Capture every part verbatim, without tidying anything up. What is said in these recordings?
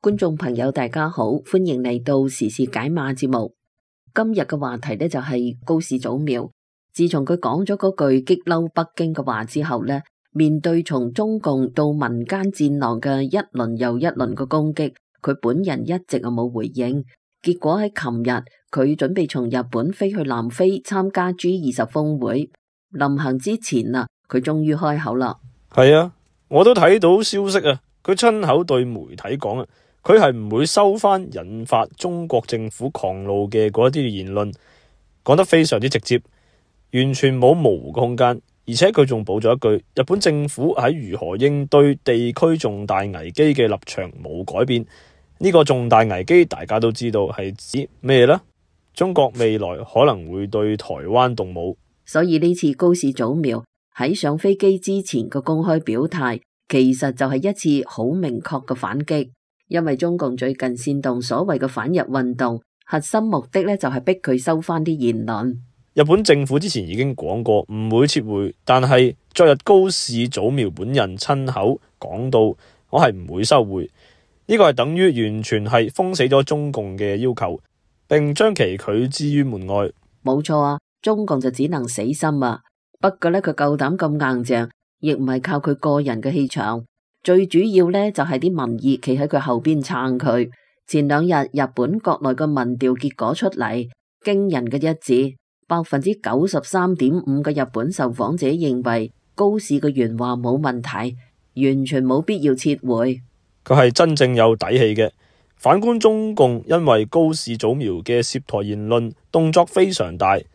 觀眾朋友大家好，歡迎嚟到時事解碼節目。今日嘅話題呢，就係高市早苗。自從佢講咗嗰句激嬲北京嘅話之後呢，面對從中共到民間戰狼嘅一輪又一輪嘅攻擊，佢本人一直啊冇回應。結果喺琴日，佢準備從日本飛去南非參加 G 二十峰會，臨行之前啊，佢終於開口啦。係啊，我都睇到消息啊，佢親口對媒體講啊。佢係唔會收翻引發中國政府狂怒嘅嗰一啲言論，講得非常之直接，完全冇模糊嘅空間。而且佢仲補咗一句，日本政府喺如何應對地區重大危機嘅立場冇改變。呢個重大危機大家都知道係指咩呢？中國未來可能會對台灣動武。所以呢次高市早苗喺上飛機之前嘅公開表態，其實就係一次好明確嘅反擊。因為中共最近煽動所謂嘅反日運動，核心目的咧就係逼佢收翻啲言論。日本政府之前已經講過唔會撤回，但係昨日高市早苗本人親口講到，我係唔會收回。呢個係等於完全係封死咗中共嘅要求，並將其拒之於門外。冇錯啊，中共就只能死心啊。不過咧，佢夠膽咁硬淨，亦唔係靠佢個人嘅氣場。最主要咧就係啲民意企喺佢後邊撐佢。前兩日日本國內嘅民調結果出嚟，驚人嘅一致，百分之九十三點五嘅日本受訪者認為高市嘅原話冇問題，完全冇必要撤回。佢係真正有底氣嘅。反觀中共，因為高市早苗嘅涉台言論動作非常大，乜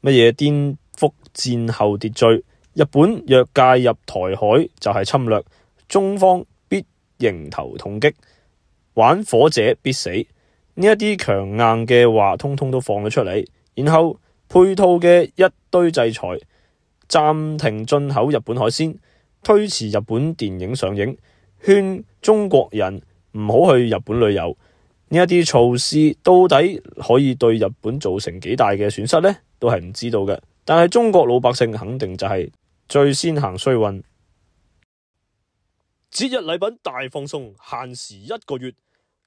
嘢顛覆戰後秩序，日本若介入台海就係侵略。中方必迎頭痛擊，玩火者必死。呢一啲強硬嘅話通通都放咗出嚟，然後配套嘅一堆制裁，暫停進口日本海鮮，推遲日本電影上映，勸中國人唔好去日本旅遊。呢一啲措施到底可以對日本造成幾大嘅損失呢？都係唔知道嘅。但係中國老百姓肯定就係最先行衰運。節日禮品大放送，限時一個月，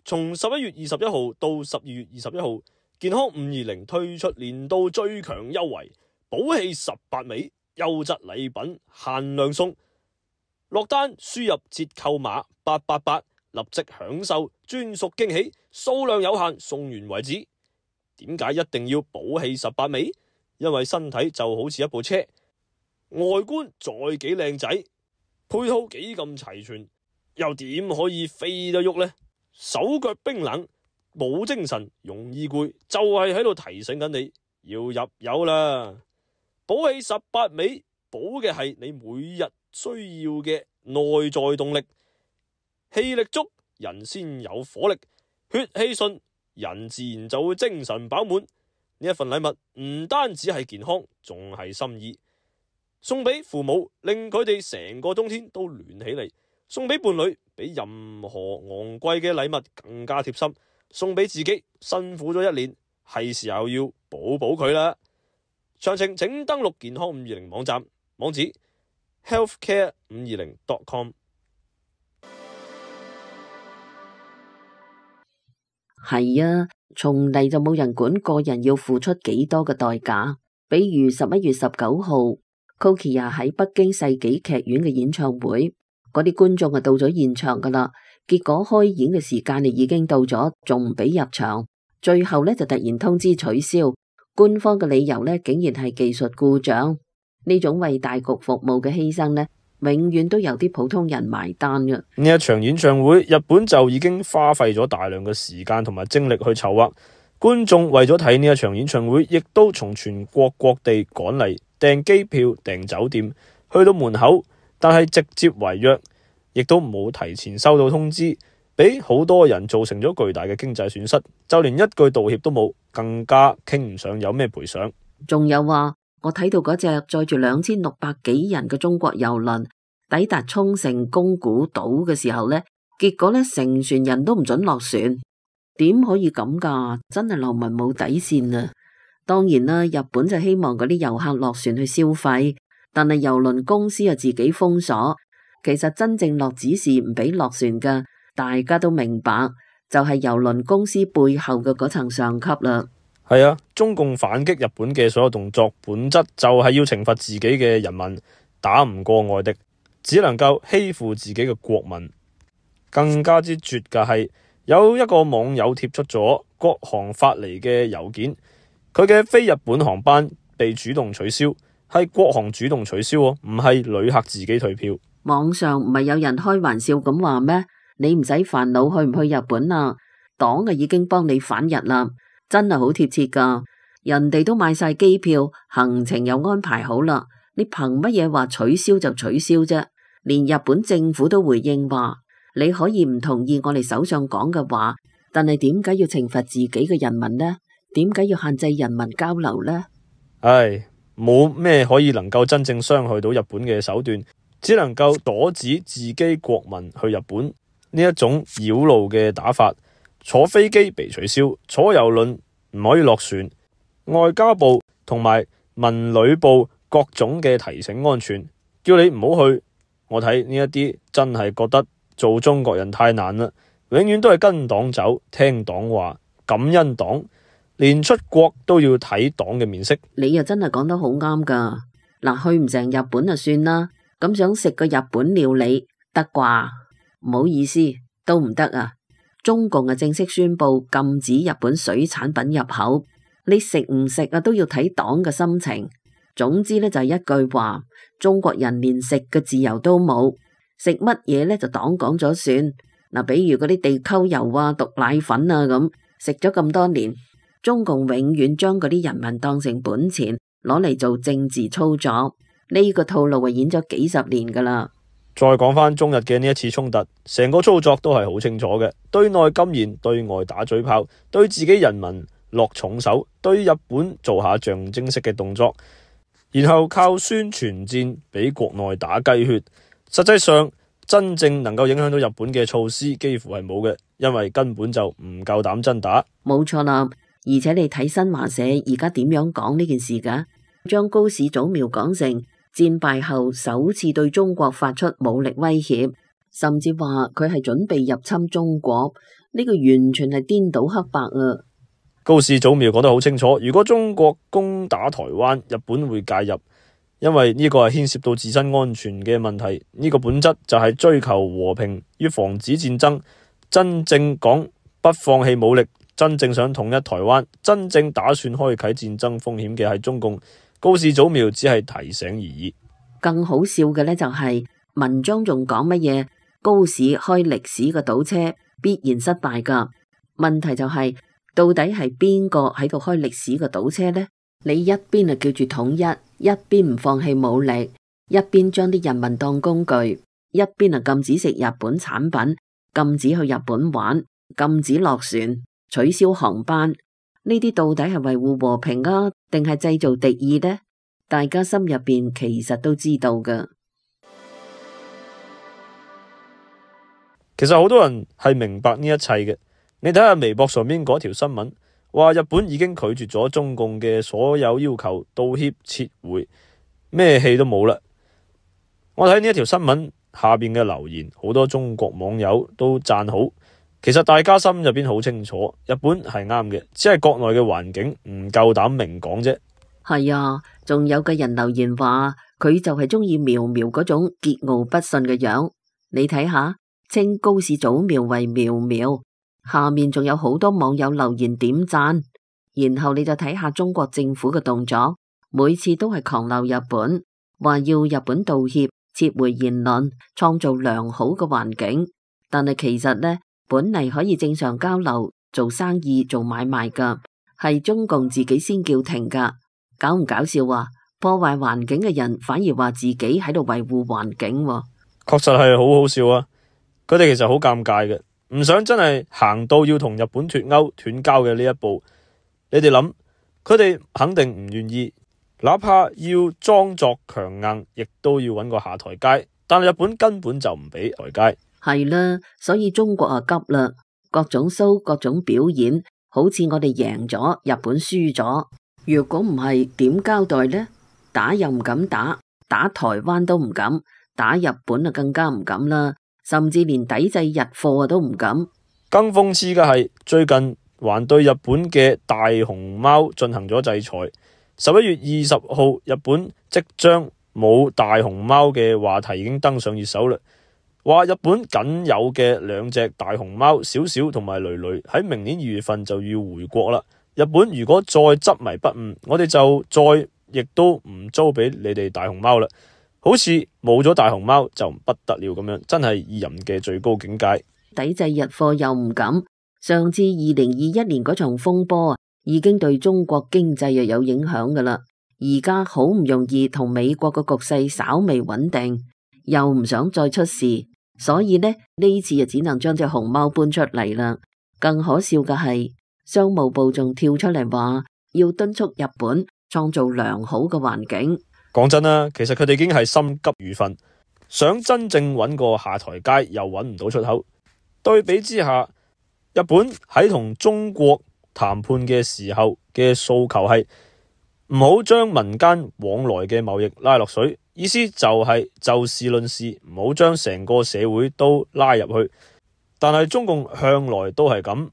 從十一月二十一號到十二月二十一號，健康五二零推出年度最強優惠，寶氣十八味，優質禮品限量送。落單輸入折扣碼八八八，立即享受專屬驚喜，數量有限，送完為止。點解一定要寶氣十八味？因為身體就好似一部車，外觀再幾靚仔，配套幾咁齊全，又點可以飛得喐呢？手腳冰冷，冇精神，容易攰，就係喺度提醒緊你要入油啦！寶氣十八味，補嘅係你每日需要嘅內在動力，氣力足，人先有火力，血氣順，人自然就會精神飽滿。呢一份禮物唔單止係健康，仲係心意。送俾父母，令佢哋成個冬天都暖起嚟；送俾伴侶，比任何昂貴嘅禮物更加貼心；送俾自己，辛苦咗一年，係時候要補補佢啦。詳情請登錄健康五二零網站，網址 healthcare 五二零 dot com。 係啊，從嚟就冇人管個人要付出幾多嘅代價。比如十一月十九號Kokia 喺北京世紀劇院嘅演唱會，嗰啲觀眾啊到咗現場噶啦，結果開演嘅時間已經到咗，仲唔俾入場，最後呢就突然通知取消，官方嘅理由呢竟然係技術故障。呢種為大局服務嘅犧牲呢，永遠都由啲普通人埋單嘅。呢一場演唱會，日本就已經花費咗大量嘅時間同埋精力去籌劃，觀眾為咗睇呢一場演唱會，亦都從全國各地趕嚟。訂機票、訂酒店，去到門口，但係直接違約，亦都冇提前收到通知，俾好多人造成咗巨大嘅經濟損失，就連一句道歉都冇，更加傾唔上有咩賠償。仲有話，我睇到嗰隻載住兩千六百幾人嘅中國郵輪抵達沖繩宮古島嘅時候呢，結果呢成船人都唔准落船，點可以咁噶？真係流民冇底線啊！當然啦，日本就希望嗰啲遊客落船去消費，但係郵輪公司啊自己封鎖。其實真正落指示唔俾落船嘅，大家都明白，就係郵輪公司背後嘅嗰層上級啦。係啊，中共反擊日本嘅所有動作，本質就係要懲罰自己嘅人民，打唔過外敵，只能夠欺負自己嘅國民。更加之絕嘅係，有一個網友貼出咗國航發嚟嘅郵件，佢嘅飛日本航班被主動取消，係國航主動取消，唔係旅客自己退票。網上唔係有人開玩笑咁話咩？你唔使煩惱去唔去日本啊，黨啊已經幫你返日啦，真係好貼切噶。人哋都買晒機票，行程又安排好啦，你憑乜嘢話取消就取消啫？連日本政府都回應話，你可以唔同意我哋首相講嘅話，但係點解要懲罰自己嘅人民呢？點解要限制人民交流呢？唉，冇咩可以能夠真正傷害到日本嘅手段，只能夠阻止自己國民去日本。呢一種繞路嘅打法，坐飛機被取消，坐郵輪唔可以落船，外交部同埋文旅部各種嘅提醒安全，叫你唔好去。我睇呢一啲真係覺得做中國人太難啦，永遠都係跟黨走，聽黨話，感恩黨，連出國都要睇黨嘅面色。你又真係講得好啱噶。嗱，去唔成日本就算啦，咁想食個日本料理得啩？唔好意思，都唔得啊！中共啊正式宣布禁止日本水產品入口，你食唔食啊都要睇黨嘅心情。總之呢，就係一句話，中國人連食嘅自由都冇，食乜嘢呢？就黨講咗算。嗱，比如嗰啲地溝油啊、毒奶粉啊咁，食咗咁多年，中共永遠將嗰啲人民當成本錢，攞嚟做政治操作。呢個套路啊演咗幾十年噶啦。再講返中日嘅呢一次衝突，成個操作都係好清楚嘅，對內禁言，對外打嘴炮，對自己人民落重手，對日本做下象徵式嘅動作，然後靠宣傳戰俾國內打雞血。實際上真正能夠影響到日本嘅措施幾乎係冇嘅，因為根本就唔夠膽真打。冇錯啦，而且你睇新華社而家點樣講呢件事噶，將高市早苗講成戰敗後首次對中國發出武力威脅，甚至話佢係準備入侵中國，呢個完全係顛倒黑白啊！高市早苗講得好清楚，如果中國攻打台灣，日本會介入，因為呢個係牽涉到自身安全嘅問題。呢個本質就係追求和平與防止戰爭，真正講不放棄武力，真正想統一台灣，真正打算開啟戰爭風險嘅係中共。高市早苗只係提醒而已。更好笑嘅呢，就係文章仲講乜嘢？高市開歷史嘅倒車必然失敗噶。問題就係到底係邊個喺度開歷史嘅倒車呢？你一邊啊叫住統一，一邊唔放棄武力，一邊將啲人民當工具，一邊啊禁止食日本產品，禁止去日本玩，禁止落船，取消航班。呢啲到底係維護和平啊，定係製造敵意呢？大家心入邊其實都知道噶。其實好多人係明白呢一切嘅。你睇下微博上面嗰條新聞，話日本已經拒絕咗中共嘅所有要求，道歉撤回，咩戲都冇啦。我睇呢一條新聞下邊嘅留言，好多中國網友都讚好。其實大家心入邊好清楚，日本係啱嘅，只係國內嘅環境唔夠膽明講啫。係啊，仲有個人留言話佢就係中意苗苗嗰種桀驁不馴嘅樣。你睇下，稱高市早苗為苗苗，下面仲有好多網友留言點讚。然後你就睇下中國政府嘅動作，每次都係狂鬧日本，話要日本道歉、撤回言論，創造良好嘅環境。但係其實呢，本嚟可以正常交流、做生意、做買賣噶，係中共自己先叫停噶。搞唔搞笑啊？破壞環境嘅人反而話自己喺度維護環境喎。確實係好好笑啊！佢哋其實好尷尬嘅，唔想真係行到要同日本脫鈎斷交嘅呢一步。你哋諗，佢哋肯定唔願意，哪怕要裝作強硬，亦都要揾個下台階。但係日本根本就唔俾台階。係啦，所以中國啊急啦，各種 show、各種表演，好似我哋贏咗，日本輸咗。如果唔係點交代呢？打又唔敢打，打台灣都唔敢，打日本啊更加唔敢啦，甚至連抵制日貨都唔敢。更諷刺嘅係，最近還對日本嘅大熊貓進行咗制裁。十一月二十號，日本即將冇大熊貓嘅話題已經登上熱搜啦。話日本僅有嘅兩隻大熊貓小小同埋蕾蕾喺明年二月份就要回國啦。日本如果再執迷不悟，我哋就再亦都唔租俾你哋大熊貓啦。好似冇咗大熊貓就不得了咁樣，真係意淫嘅最高境界。抵制日貨又唔敢，上至二零二一年嗰場風波啊，已經對中國經濟又有影響噶啦。而家好唔容易同美國個局勢稍微穩定，又唔想再出事，所以呢呢次就只能將隻熊貓搬出嚟啦。更可笑嘅係，商務部仲跳出嚟話要敦促日本創造良好嘅環境。講真啦，其實佢哋已經係心急如焚，想真正揾個下台階又揾唔到出口。對比之下，日本喺同中國談判嘅時候嘅訴求係唔好將民間往來嘅貿易拉落水，意思就係就事論事，唔好將成個社會都拉入去。但係中共向來都係咁，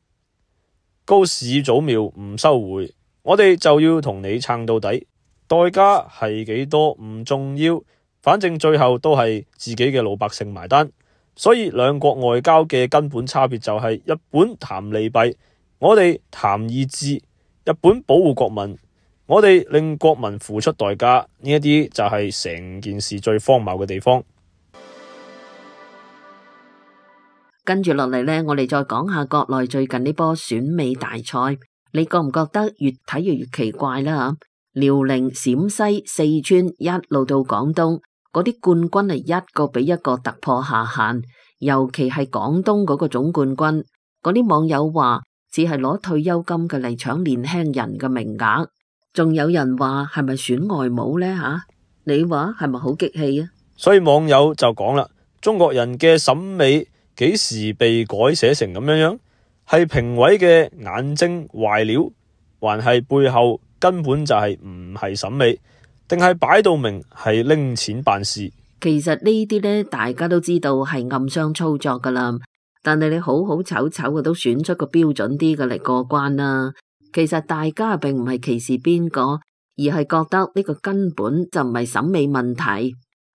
高市早苗唔收回，我哋就要同你撐到底，代價係幾多唔重要，反正最後都係自己嘅老百姓埋單。所以兩國外交嘅根本差別就係日本談利弊，我哋談意志。日本保護國民，我哋令國民付出代價，呢一啲就係成件事最荒謬嘅地方。跟住落嚟呢，我哋再講下國內最近呢波選美大賽，你覺唔覺得越睇越越奇怪啦？遼寧、陝西、四川一路到廣東，嗰啲冠軍係一個比一個突破下限，尤其係廣東嗰個總冠軍，嗰啲網友話只係攞退休金嘅嚟搶年輕人嘅名額，仲有人話係咪選外母呢？吓？你話係咪好激氣啊？所以網友就講啦，中國人嘅審美幾時被改寫成咁樣樣？係評委嘅眼睛壞了，還係背後根本就係唔係審美？定係擺到明係拎錢辦事？其實呢啲呢，大家都知道係暗箱操作噶啦。但係你好好醜醜嘅都選出個標準啲嘅嚟過關啦。其實大家並唔係歧視邊個，而係覺得呢個根本就唔係審美問題。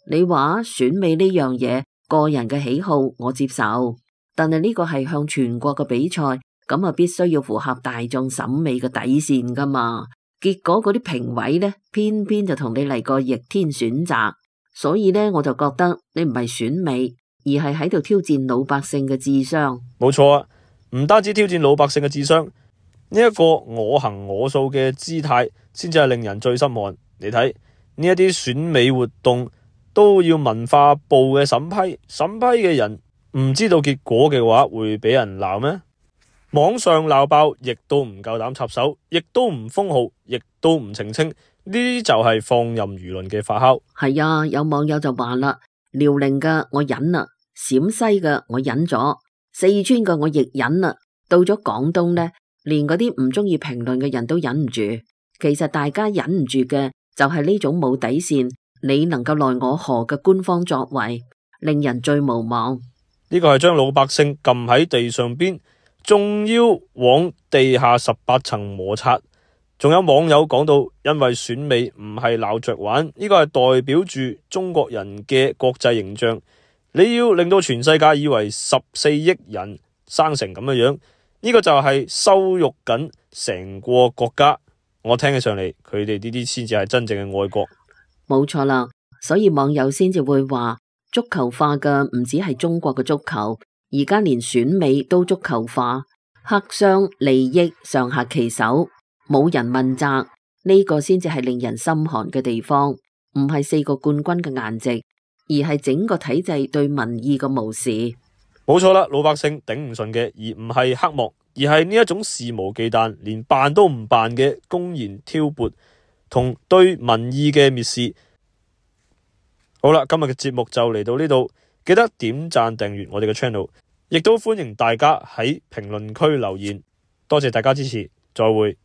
你話選美呢樣嘢，個人嘅喜好我接受，但係呢個係向全國嘅比賽，咁啊必須要符合大眾審美嘅底線噶嘛。結果嗰啲評委呢，偏偏就同你嚟個逆天選擇，所以呢，我就覺得你唔係選美，而係喺度挑戰老百姓嘅智商。冇錯啊，唔單止挑戰老百姓嘅智商，呢一個我行我素嘅姿態，先至係令人最心寒。你睇呢一啲選美活動都要文化部嘅審批，審批嘅人唔知道結果嘅話，會俾人鬧咩？網上鬧爆，亦都唔夠膽插手，亦都唔封號，亦都唔澄清，呢啲就係放任輿論嘅發酵。係啊，有網友就話啦，遼寧嘅我忍啦，陝西嘅我忍咗，四川嘅我亦忍啦，到咗廣東呢，連嗰啲唔中意評論嘅人都忍唔住。其實大家忍唔住嘅就係呢種冇底線，你能夠奈我何嘅官方作為，令人最無望。呢個係將老百姓撳喺地上邊，仲要往地下十八層摩擦。仲有網友講到，因為選美唔係鬧着玩，呢個係代表住中國人嘅國際形象。你要令到全世界以為十四億人生成咁嘅樣，呢個就係羞辱緊成個國家。我聽起上嚟，佢哋呢啲先至係真正嘅愛國。冇錯啦，所以網友先至會話，足球化嘅唔止係中國嘅足球，而家連選美都足球化，黑箱利益上下其手，冇人問責，呢個先至係令人心寒嘅地方。唔係四個冠軍嘅顏值，而係整個體制對民意嘅無視。冇錯啦，老百姓頂唔順嘅，而唔係黑幕，而係呢一種肆無忌憚，連辦都唔辦嘅公然挑撥同對民意嘅蔑視。好啦，今日嘅節目就嚟到呢度，記得點讚訂閱我哋嘅 channel， 亦都歡迎大家喺評論區留言。多謝大家支持，再會。